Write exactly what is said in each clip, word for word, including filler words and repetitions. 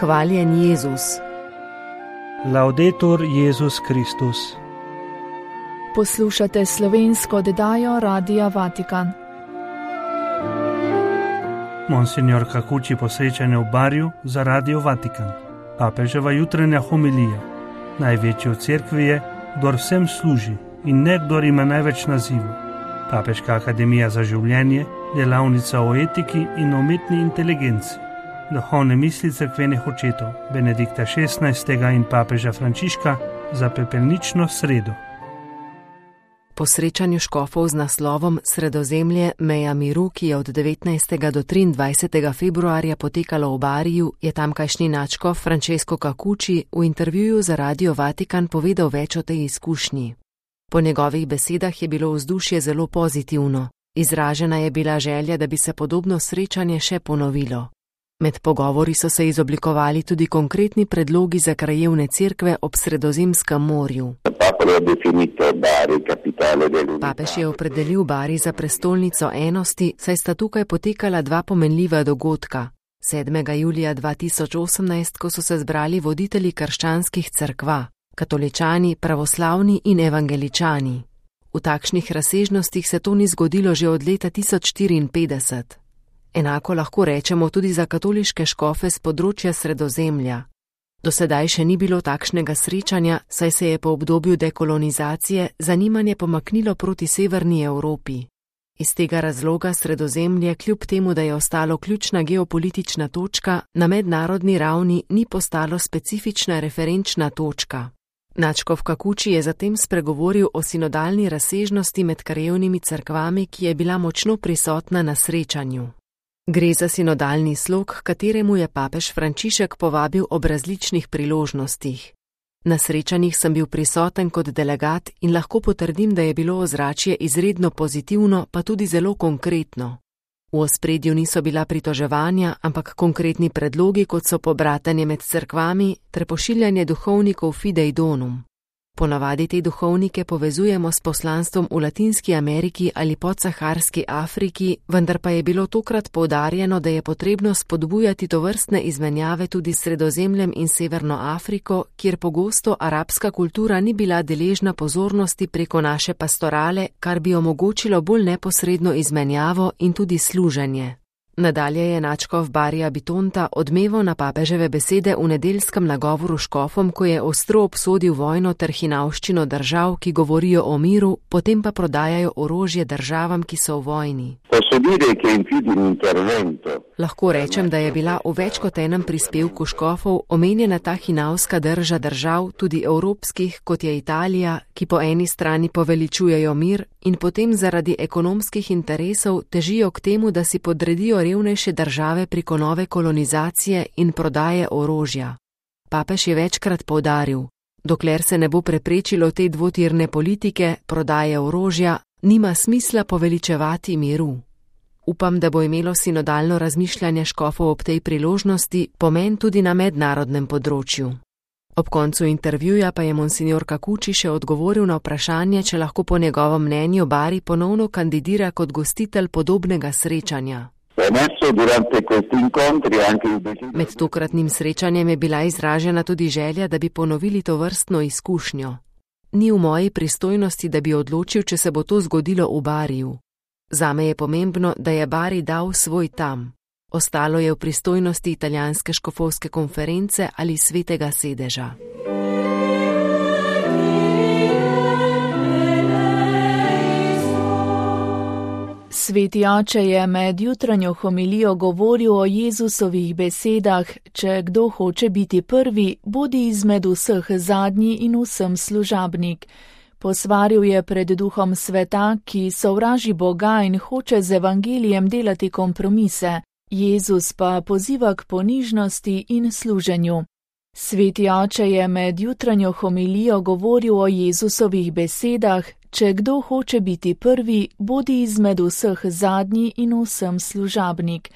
Hvaljen Jezus. Laudetur Jezus Kristus. Poslušate slovensko oddajo Radia Vatikan. Monsignor Cacucci posrečanje v Bariju za Radio Vatikan. Papeževa jutranja homilija. Največji v cerkvi je, kdor vsem služi in ne kdor ima največ nazivov. Papeška akademija za življenje, delavnica o etiki in umetni inteligenci. Duhovne misli cerkvenih očetov Benedikta šestnajstega in papeža Frančiška za pepelnično sredo. Po srečanju škofov z naslovom Sredozemlje meja miru, ki je od devetnajstega do triindvajsetega februarja potekalo v Bariju, je tamkajšnji nadškof Francesco Cacucci v intervjuju za Radio Vatikan povedal več o tej izkušnji. Po njegovih besedah je bilo vzdušje zelo pozitivno. Izražena je bila želja, da bi se podobno srečanje še ponovilo. Med pogovori so se izoblikovali tudi konkretni predlogi za krajevne cerkve ob Sredozemskem morju. Papež je opredelil Bari za prestolnico enosti, saj sta tukaj potekala dva pomenljiva dogodka. sedmega julija dva tisoč osemnajst, ko so se zbrali voditelji krščanskih cerkva, katoličani, pravoslavni in evangeličani. V takšnih razsežnostih se to ni zgodilo že od leta tisoč štiriinpetdeset. Enako lahko rečemo tudi za katoliške škofe z področja Sredozemlja. Do sedaj še ni bilo takšnega srečanja, saj se je po obdobju dekolonizacije zanimanje pomaknilo proti severni Evropi. Iz tega razloga Sredozemlje, kljub temu, da je ostalo ključna geopolitična točka, na mednarodni ravni ni postalo specifična referenčna točka. Nadškof Cacucci je zatem spregovoril o sinodalni razsežnosti med krajevnimi cerkvami, ki je bila močno prisotna na srečanju. Gre za sinodalni slog, kateremu je papež Frančišek povabil ob različnih priložnostih. Na srečanjih sem bil prisoten kot delegat in lahko potrdim, da je bilo ozračje izredno pozitivno, pa tudi zelo konkretno. V ospredju niso bila pritoževanja, ampak konkretni predlogi, kot so pobratanje med cerkvami ter pošiljanje duhovnikov Fidei Donum. Ponavadi te duhovnike povezujemo s poslanstvom v Latinski Ameriki ali podsaharski Afriki, vendar pa je bilo tokrat poudarjeno, da je potrebno spodbujati tovrstne izmenjave tudi s Sredozemljem in Severno Afriko, kjer pogosto arabska kultura ni bila deležna pozornosti preko naše pastorale, kar bi omogočilo bolj neposredno izmenjavo in tudi služenje. Nadalje je nadškof Barija Bitonta odmeval na papeževe besede v nedeljskem nagovoru škofom, ko je ostro obsodil vojno ter hinavščino držav, ki govorijo o miru, potem pa prodajajo orožje državam, ki so v vojni. Lahko rečem, da je bila v več kot enem prispevku škofov omenjena ta hinavska drža držav, tudi evropskih, kot je Italija, ki po eni strani poveličujejo mir in potem zaradi ekonomskih interesov težijo k temu, da si podredijo revnejše države preko nove kolonizacije in prodaje orožja. Papež je večkrat poudaril, dokler se ne bo preprečilo te dvotirne politike, prodaje orožja, nima smisla poveličevati miru. Upam, da bo imelo sinodalno razmišljanje škofov ob tej priložnosti pomen tudi na mednarodnem področju. Ob koncu intervjuja pa je monsignor Cacucci še odgovoril na vprašanje, če lahko po njegovem mnenju Bari ponovno kandidira kot gostitelj podobnega srečanja. Med tokratnim srečanjem je bila izražena tudi želja, da bi ponovili to vrstno izkušnjo. Ni v moji pristojnosti, da bi odločil, če se bo to zgodilo v Bariju. Zame je pomembno, da je Bari dal svoj tam. Ostalo je v pristojnosti italijanske škofovske konference ali svetega sedeža. Sveti oče je med jutranjo homilijo govoril o Jezusovih besedah: če kdo hoče biti prvi, bodi izmed vseh zadnji in vsem služabnik. Posvaril je pred duhom sveta, ki sovraži Boga in hoče z evangelijem delati kompromise. Jezus pa poziva k ponižnosti in služenju. Sveti oče je med jutranjo homilijo govoril o Jezusovih besedah: če kdo hoče biti prvi, bodi izmed vseh zadnji in vsem služabnik.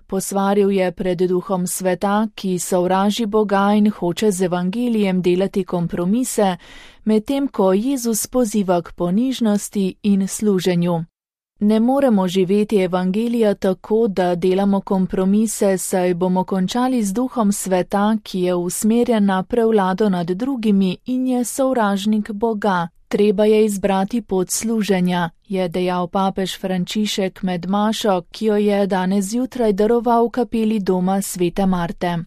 Posvaril je pred duhom sveta, ki sovraži Boga in hoče z evangelijem delati kompromise, medtem ko Jezus poziva k ponižnosti in služenju. Ne moremo živeti evangelija tako, da delamo kompromise, saj bomo končali z duhom sveta, ki je usmerjen na prevlado nad drugimi in je sovražnik Boga. Treba je izbrati pot služenja, je dejal papež Frančišek med mašo, ki jo je danes zjutraj daroval v kapeli doma svete Marte.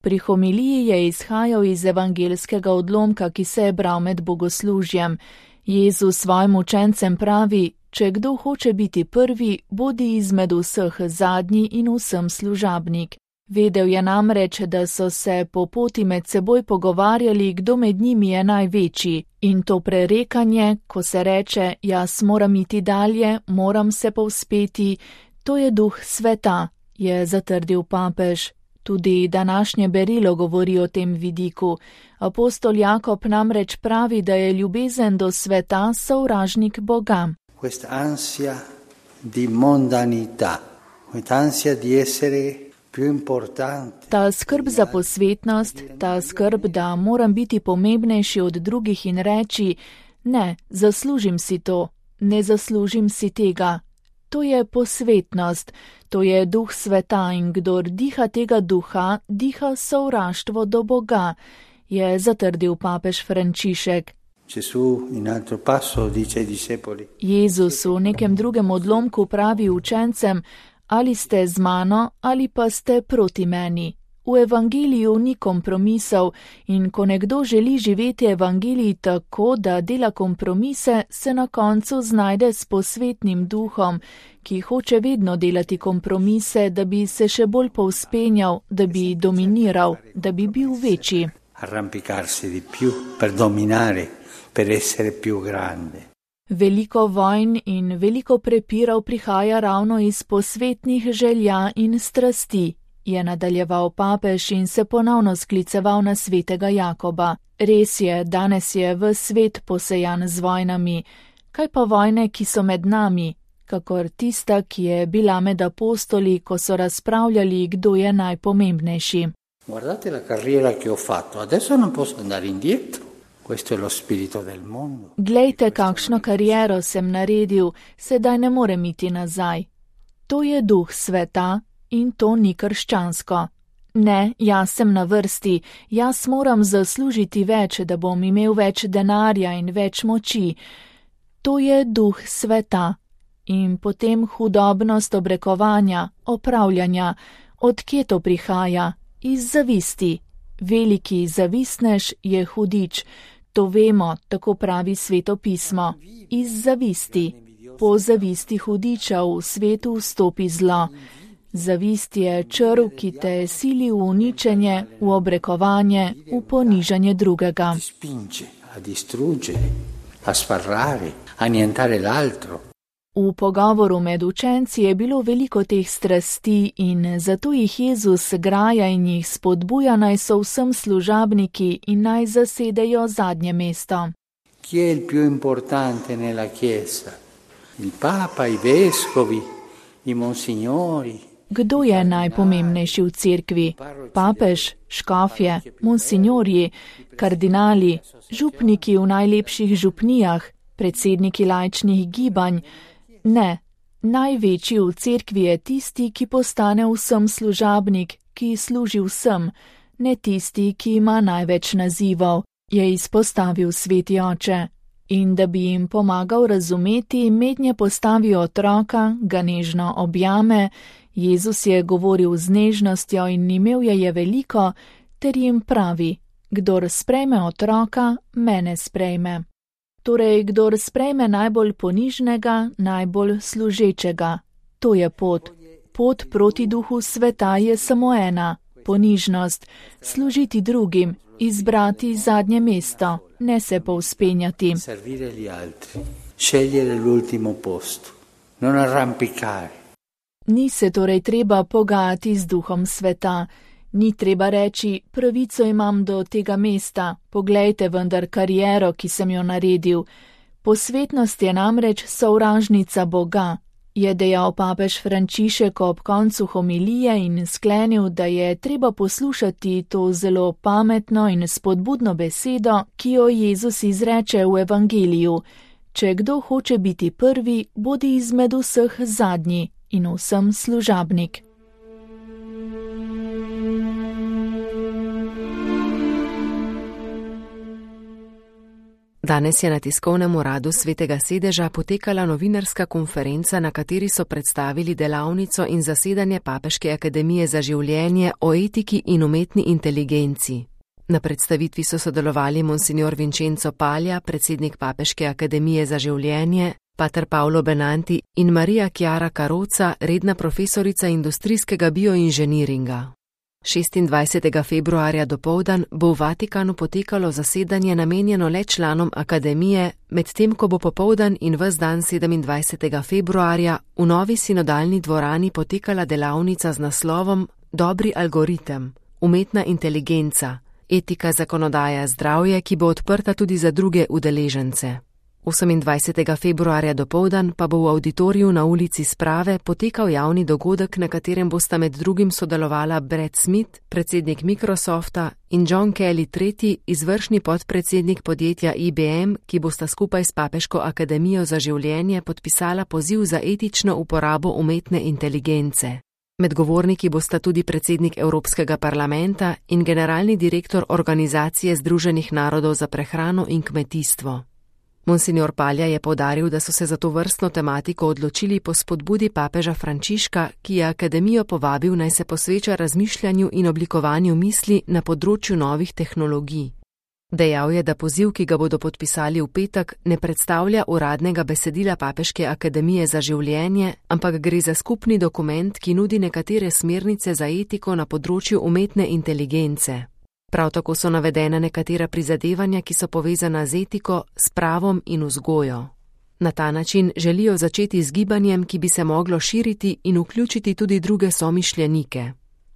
Pri homiliji je izhajal iz evangelskega odlomka, ki se je bral med bogoslužjem. Jezus svojim učencem pravi: če kdo hoče biti prvi, bodi izmed vseh zadnji in vsem služabnik. Vedel je namreč, da so se po poti med seboj pogovarjali, kdo med njimi je največji, in to prerekanje, ko se reče: jaz moram iti dalje, moram se povzpeti, to je duh sveta, je zatrdil papež. Tudi današnje berilo govori o tem vidiku. Apostol Jakob namreč pravi, da je ljubezen do sveta sovražnik Boga. Questa ansia di mondanità, questa ansia di essere più importante. Ta skrb za posvetnost, ta skrb, da moram biti pomembnejši od drugih in reči: ne, zaslužim si to, ne zaslužim si tega. To je posvetnost, to je duh sveta in kdor diha tega duha, diha sovraštvo do Boga, je zatrdil papež Frančišek. Jezus v nekem drugem odlomku pravi učencem: ali ste z mano ali pa ste proti meni. V evangeliju ni kompromisov in ko nekdo želi živeti evangelij tako, da dela kompromise, se na koncu znajde s posvetnim duhom, ki hoče vedno delati kompromise, da bi se še bolj povzpenjal, da bi dominiral, da bi bil večji. Arrampicarsi di più per dominare, per essere più grande. Veliko vojn in veliko prepirov prihaja ravno iz posvetnih želja in strasti, je nadaljeval papež in se ponovno skliceval na svetega Jakoba. Res je, danes je ves svet posejan z vojnami. Kaj pa vojne, ki so med nami, kakor tista, ki je bila med apostoli, ko so razpravljali, kdo je najpomembnejši. Guardate la carriera che ho fatto, adesso non posso andare indietro. Questo è lo spirito del mondo. Glejte, kakšno kariero sem naredil, sedaj ne morem iti nazaj. To je duh sveta in to ni krščansko. Ne, jaz sem na vrsti, jaz moram zaslužiti več, da bom imel več denarja in več moči. To je duh sveta. In potem hudobnost obrekovanja, opravljanja. Od kje to prihaja? Iz zavisti. Veliki zavisnež je hudič. To vemo, tako pravi Sveto pismo. Iz zavisti. Po zavisti hudiča v svetu vstopi zlo. Zavist je črv, ki te sili v uničenje, v obrekovanje, v ponižanje drugega. V pogovoru med učenci je bilo veliko teh strasti in zato jih Jezus graja in jih spodbuja, naj so vsem služabniki in naj zasedejo zadnje mesto. Chi è il più importante nella Chiesa? Il Papa, i vescovi, i monsignori. Kdo je najpomembnejši v cerkvi? Papež, škofje, monsinjorji, kardinali, župniki v najlepših župnijah, predsedniki laičnih gibanj. Ne, največji v cerkvi je tisti, ki postane vsem služabnik, ki služi vsem, ne tisti, ki ima največ nazivov, je izpostavil sveti oče. In da bi jim pomagal razumeti, mednje postavi otroka, ga nežno objame. Jezus je govoril z nežnostjo in imel je je veliko, ter jim pravi: kdor sprejme otroka, mene sprejme. Torej, kdor sprejme najbolj ponižnega, najbolj služečega. To je pot. Pot proti duhu sveta je samo ena, ponižnost, služiti drugim, izbrati zadnje mesto, ne se povzpenjati. Ni se torej treba pogajati z duhom sveta. Ni treba reči: pravico imam do tega mesta, poglejte vendar kariero, ki sem jo naredil. Posvetnost je namreč sovražnica Boga, je dejal papež Frančišek ob koncu homilije in sklenil, da je treba poslušati to zelo pametno in spodbudno besedo, ki jo Jezus izreče v evangeliju. če kdo hoče biti prvi, bodi izmed vseh zadnji in vsem služabnik. Danes je na tiskovnem uradu Svetega sedeža potekala novinarska konferenca, na kateri so predstavili delavnico in zasedanje Papeške akademije za življenje o etiki in umetni inteligenci. Na predstavitvi so sodelovali monsignor Vincenzo Palja, predsednik Papeške akademije za življenje, pater Paolo Benanti in Marija Chiara Carrozza, redna profesorica industrijskega bioinženiringa. šestindvajsetega februarja dopoldan bo v Vatikanu potekalo zasedanje namenjeno le članom akademije, medtem ko bo popoldan in ves dan sedemindvajsetega februarja v novi sinodalni dvorani potekala delavnica z naslovom Dobri algoritem, umetna inteligenca, etika zakonodaja zdravje, ki bo odprta tudi za druge udeležence. osemindvajsetega februarja dopoldan pa bo v auditoriju na ulici Sprave potekal javni dogodek, na katerem bosta med drugim sodelovala Brad Smith, predsednik Microsofta, in John Kelly tretji, izvršni podpredsednik podjetja I B M, ki bosta skupaj s Papeško akademijo za življenje podpisala poziv za etično uporabo umetne inteligence. Med govorniki bosta tudi predsednik Evropskega parlamenta in generalni direktor Organizacije Združenih narodov za prehrano in kmetijstvo. Monsignor Palja je poudaril, da so se za to vrstno tematiko odločili po spodbudi papeža Frančiška, ki je akademijo povabil, naj se posveča razmišljanju in oblikovanju misli na področju novih tehnologij. Dejal je, da poziv, ki ga bodo podpisali v petek, ne predstavlja uradnega besedila Papeške akademije za življenje, ampak gre za skupni dokument, ki nudi nekatere smernice za etiko na področju umetne inteligence. Prav tako so navedena nekatera prizadevanja, ki so povezana z etiko, s pravom in vzgojo. Na ta način želijo začeti z gibanjem, ki bi se moglo širiti in vključiti tudi druge somišljenike.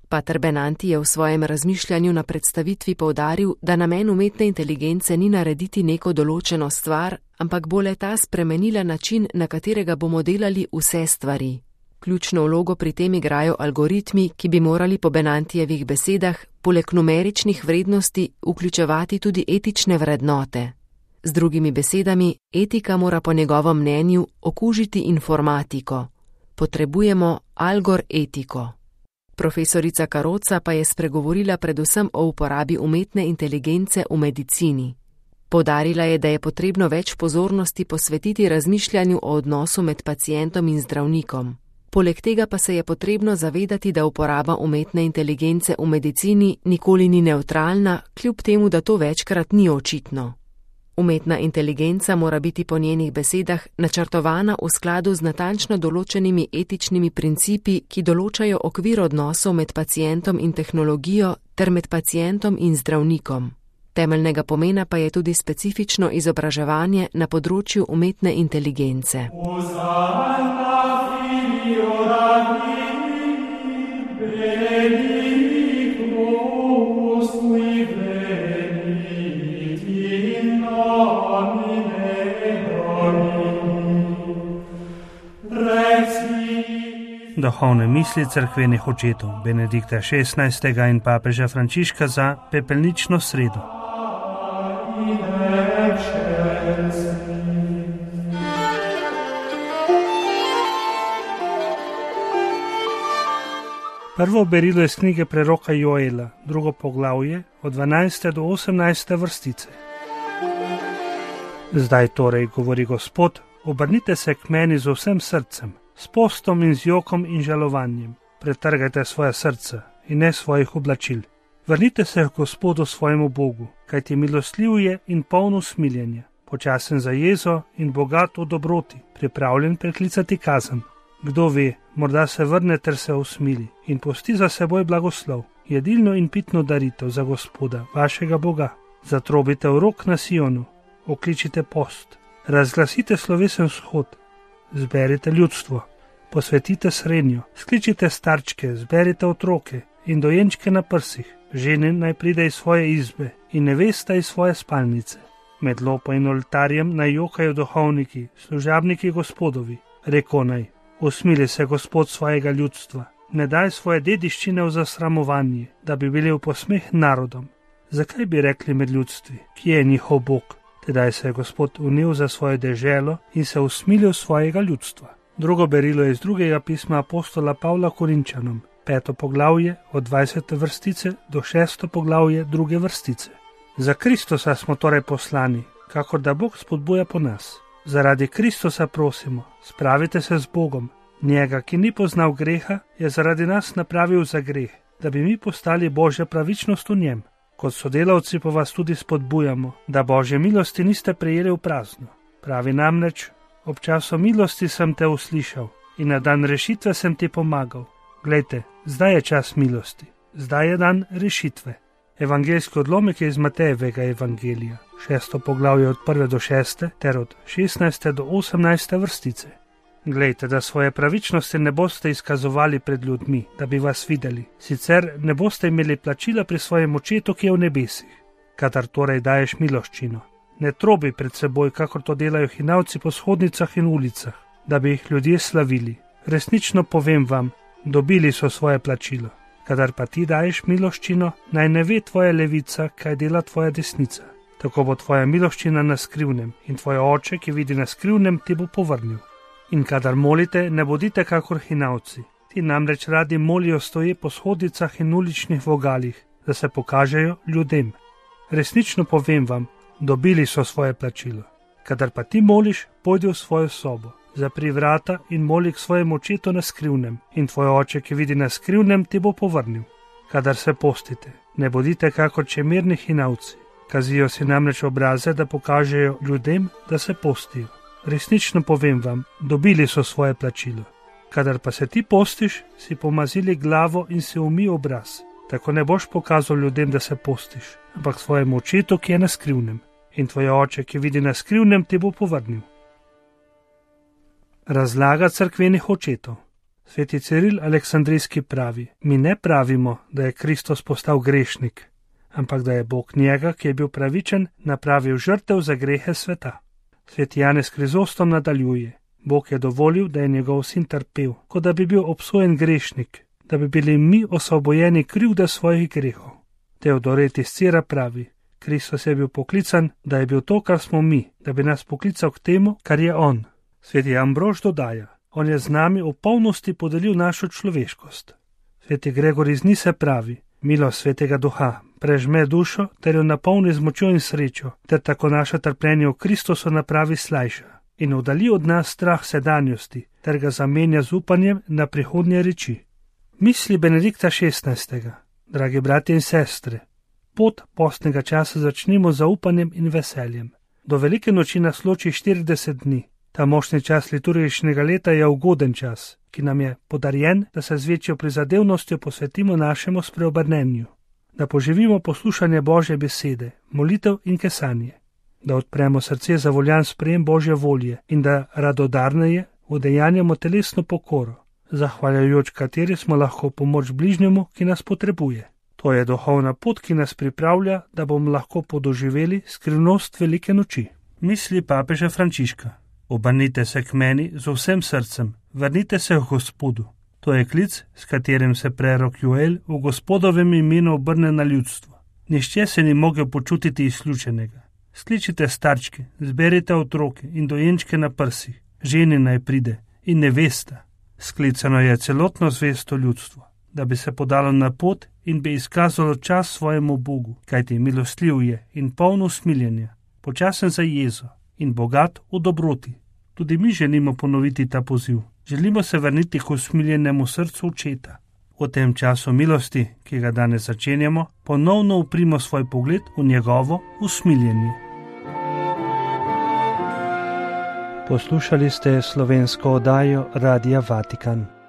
Pater Benanti je v svojem razmišljanju na predstavitvi poudaril, da namen umetne inteligence ni narediti neko določeno stvar, ampak bo le ta spremenila način, na katerega bomo delali vse stvari. Ključno vlogo pri tem igrajo algoritmi, ki bi morali po Benantijevih besedah poleg numeričnih vrednosti vključevati tudi etične vrednote. Z drugimi besedami, etika mora po njegovem mnenju okužiti informatiko. Potrebujemo algoretiko. Profesorica Carrozza pa je spregovorila predvsem o uporabi umetne inteligence v medicini. Poudarila je, da je potrebno več pozornosti posvetiti razmišljanju o odnosu med pacientom in zdravnikom. Poleg tega pa se je potrebno zavedati, da uporaba umetne inteligence v medicini nikoli ni nevtralna, kljub temu, da to večkrat ni očitno. Umetna inteligenca mora biti po njenih besedah načrtovana v skladu z natančno določenimi etičnimi principi, ki določajo okvir odnosov med pacientom in tehnologijo ter med pacientom in zdravnikom. Temeljnega pomena pa je tudi specifično izobraževanje na področju umetne inteligence. Duhovne misli cerkvenih očetov Benedikta šestnajstega in papeža Frančiška za pepelnično sredo. Prvo berilo je iz knjige preroka Joela, drugo poglavje, od dvanajste do osemnajste vrstice. Zdaj torej, govori Gospod, obrnite se k meni z vsem srcem, s postom in z jokom in žalovanjem. Pretrgajte svoje srce in ne svojih oblačil. Vrnite se k Gospodu svojemu Bogu, kajti milostljiv je in poln usmiljenja, počasen za jezo in bogat v dobroti, pripravljen preklicati kazen. Kdo ve, morda se vrne ter se usmili in pusti za seboj blagoslov, jedilno in pitno daritev za Gospoda, vašega Boga. Zatrobite v rok na Sionu, okličite post, razglasite slovesen shod, zberite ljudstvo, posvetite srenjo, skličite starčke, zberite otroke in dojenčke na prsih, žene naj pride iz svoje izbe in nevesta iz svoje spalnice. Med lopo in oltarjem naj jokajo duhovniki, služabniki Gospodovi, reko naj, usmili se Gospod svojega ljudstva, ne daj svoje dediščine v zasramovanje, da bi bili v posmeh narodom. Zakaj bi rekli med ljudstvi, kje je njihov Bog? Tedaj se je Gospod unil za svojo deželo in se usmilil svojega ljudstva. Drugo berilo je iz drugega pisma apostola Pavla Korinčanom, peto poglavje od dvajsete vrstice do šesto poglavje druge vrstice. Za Kristusa smo torej poslani, kakor da Bog spodbuja po nas. Zaradi Kristusa prosimo, spravite se z Bogom. Njega, ki ni poznal greha, je zaradi nas napravil za greh, da bi mi postali Božja pravičnost v njem. Kot sodelavci pa vas tudi spodbujamo, da Božje milosti niste prejeli v prazno. Pravi namreč, ob času milosti sem te uslišal in na dan rešitve sem ti pomagal. Glejte, zdaj je čas milosti, zdaj je dan rešitve. Evangeljski odlomek je iz Matejevega evangelija, šesto poglavje od prve do šeste ter od šestnajste do osemnajste vrstice. Glejte, da svoje pravičnosti ne boste izkazovali pred ljudmi, da bi vas videli, sicer ne boste imeli plačila pri svojem očetu, ki je v nebesih. Kadar torej daješ miloščino, ne trobi pred seboj, kakor to delajo hinavci po shodnicah in ulicah, da bi jih ljudje slavili. Resnično povem vam, dobili so svoje plačilo. Kadar pa ti daješ miloščino, naj ne ve tvoja levica, kaj dela tvoja desnica. Tako bo tvoja miloščina na skrivnem in tvoj oče, ki vidi na skrivnem, ti bo povrnil. In kadar molite, ne bodite kakor hinavci. Ti namreč radi molijo stoje po shodnicah in uličnih vogalih, da se pokažejo ljudem. Resnično povem vam, dobili so svoje plačilo. Kadar pa ti moliš, pojdi v svojo sobo, zapri vrata in moli k svojemu očetu na skrivnem, in tvoj oče, ki vidi na skrivnem, ti bo povrnil. Kadar se postite, ne bodite kakor čemerni hinavci. Kazijo si namreč obraze, da pokažejo ljudem, da se postijo. Resnično povem vam, dobili so svoje plačilo. Kadar pa se ti postiš, si pomazili glavo in si umij obraz. Tako ne boš pokazal ljudem, da se postiš, ampak svojemu očetu, ki je na skrivnem. In tvoj oče, ki vidi na skrivnem, ti bo povrnil. Razlaga cerkvenih očetov. Sveti Ciril Aleksandrijski pravi, mi ne pravimo, da je Kristus postal grešnik, ampak da je Bog njega, ki je bil pravičen, napravil žrtev za grehe sveta. Sveti Janez Krizostom nadaljuje, Bog je dovolil, da je njegov sin trpel, kot da bi bil obsojen grešnik, da bi bili mi osvobojeni krivde svojih grehov. Teodoret iz Cira pravi, Kristus je bil poklican, da je bil to, kar smo mi, da bi nas poklical k temu, kar je on. Sveti Ambrož dodaja, on je z nami v polnosti podelil našo človeškost. Sveti Gregor iz Nise pravi, milost Svetega Duha prežme dušo ter jo napolni z močjo in srečo, ter tako naše trpljenje v Kristusu napravi slajša in oddali od nas strah sedanjosti, ter ga zamenja z upanjem na prihodnje reči. Misli Benedikta šestnajstega. Dragi bratje in sestre, pot postnega časa začnimo z zaupanjem in veseljem. Do velike noči nas loči štirideset dni. Ta močni čas liturgičnega leta je ugoden čas, ki nam je podarjen, da se z večjo prizadevnostjo posvetimo našemu spreobrnenju, da poživimo poslušanje Božje besede, molitev in kesanje, da odpremo srce za voljan sprejem Božje volje in da radodarneje udejanjamo telesno pokoro, zahvaljujoč kateri smo lahko pomoč bližnjemu, ki nas potrebuje. To je duhovna pot, ki nas pripravlja, da bomo lahko podoživeli skrivnost velike noči. Misli papeža Frančiška. Obrnite se k meni z vsem srcem, vrnite se v Gospodu. To je klic, s katerim se prerok Joel v Gospodovem imenu obrne na ljudstvo. Nihče se ni mogel počutiti izključenega. Skličite starčke, zberite otroke in dojenčke na prsih, ženi naj pride in nevesta. Sklicano je celotno zvesto ljudstvo, da bi se podalo na pot in bi izkazalo čas svojemu Bogu, kajti milostljiv je in poln usmiljenja, počasen za jezo in bogat v dobroti. Tudi mi želimo ponoviti ta poziv. Želimo se vrniti k usmiljenemu srcu očeta. V tem času milosti, ki ga danes začenjamo, ponovno uprimo svoj pogled v njegovo usmiljenje. Poslušali ste slovensko oddajo Radia Vatikan.